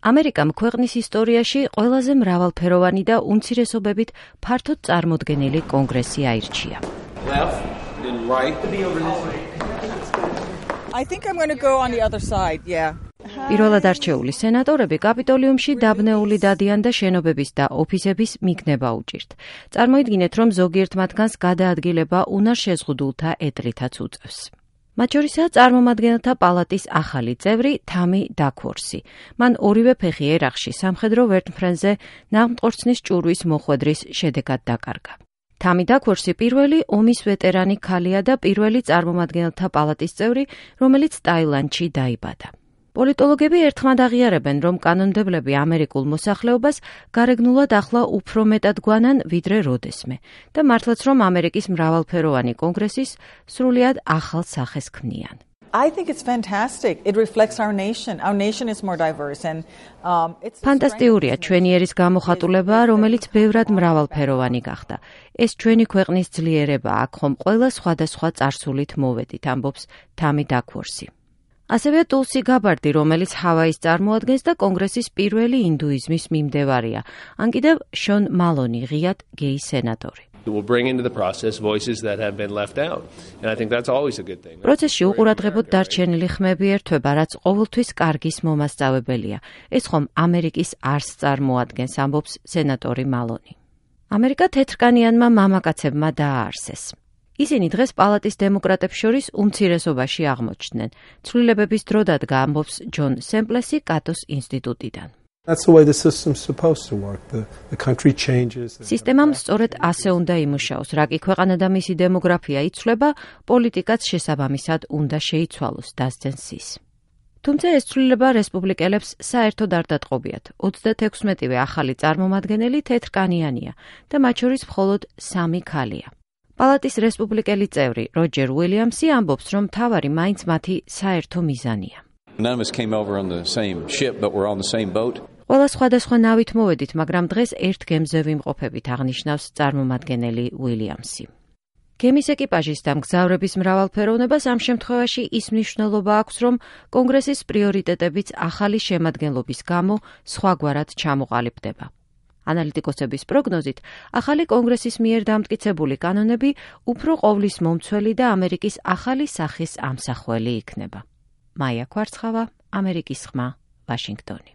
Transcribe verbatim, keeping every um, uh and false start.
ამერიკამ ქვეყნის ისტორიაში ყველაზე მრავალფეროვანი და უმცირესობებით ფართოდ წარმოდგენილი კონგრესი აირჩია. Left and right. I think I'm going to go on the other side, yeah. პირველად არჩეული სენატორები კაპიტოლიუმში დაბნეული დადიან და შენობების და ოფისების მიგნება უჭირთ. წარმოიდგინეთ, რომ ზოგიერთ მათგანს გადაადგილება უნარ შეზღუდულთა ეტლითაც უწევს. მათ შორისაა წარმომადგენელთა პალატის ახალი წევრი თამი დაქორსი. მან ორივე ფეხი ერახში სამხედრო ვერტმფრენზე ნაღმტყორცნის ჭურვის მოხვედრის შედეგად დაკარგა. თამი დაქორსი პირველი ომის ვეტერანი ქალია და პირველი წარმომადგენელთა პალატის წევრი, რომელიც ტაილანდში დაიბადა. პოლიტოლოგები ერთხმად აღიარებენ, რომ კანონმდებლები ამერიკულ მოსახლეობას გარეგნულად ახლა უფრო მეტად გვანან, ვიდრე როდესმე და მართლაც რომ ამერიკის მრავალფეროვანი კონგრესის სრულიად ახალ სახეს ქმნიან. I think it's fantastic. It reflects our nation. Our nation is more diverse and um it's ფანტასტიურია ჩვენი ერის გამოხატულება, რომელიც ბევრად მრავალფეროვანი გახდა. ეს ჩვენი ქვეყნის ძლიერება, აქ ხომ ყველა სხვადასხვა წარსულით მოვედით, ამბობს თამი დაქორსი. ასევე ტულსი გაბარდი, რომელიც ჰავაის წარმოადგენს და კონგრესის პირველი ინდუიზმის მიმდევარია, ან კიდევ შონ მალონი, ღიად გეი სენატორი. It will bring into the process voices that have been left out. And I think that's always a good thing. პროცესში უყურადღებოდ დარჩენილი ხმები ერთვება, რაც ყოველთვის კარგის მომასწავებელია. ეს ხომ ამერიკის არსს წარმოადგენს, ამბობს სენატორი მალონი. ამერიკა თეთრკანიანმა მამაკაცებმა დააარსეს. ისინი დღეს პალატის დემოკრატებს შორის უმცირესობაში აღმოჩნდნენ. ცვლილებების დრო დადგა, ამბობს ჯონ სემპლესი კატოს ინსტიტუტიდან. That's the way the system's supposed to work. The, the country changes. სისტემამ სწორედ ასე უნდა იმუშაოს, რა კი ქვეყანა და მისი დემოგრაფია იცვლება, პოლიტიკაც შესაბამისად უნდა შეიცვალოს, დასძენს ის. თუმცა ეს ცვლილება რესპუბლიკელებს საერთოდ არ დატყობიათ. ოცდათექვსმეტივე ახალი წარმომადგენელი თეთრკანიანია და მათ შორის მხოლოდ სამი ქალია. პალატის რესპუბლიკელი წევრი როჯერ უილიამსი ამბობს, რომ მთავარი მაინც მათი საერთო მიზანია. None of us came over on the same ship, but we're on the same boat. ყველა სხვადასხვა ნავით მოვედით, მაგრამ დღეს ერთ გემზე ვიმყოფებით, აღნიშნავს წარმომადგენელი უილიამსი. გემის ეკიპაჟის და მგზავრების მრავალფეროვნებას ამ შემთხვევაში ის მნიშვნელობა აქვს, რომ კონგრესის პრიორიტეტებიც ახალი შემადგენლობის გამო სხვაგვარად ჩამოყალიბდება. ანალიტიკოსების პროგნოზით, ახალი კონგრესის მიერ დამტკიცებული კანონები უფრო ყოვლის მომცველი და ამერიკის ახალი სახის ამსახველი იქნება. მაია კვარცხავა, ამერიკის ხმა, ვაშინგტონი.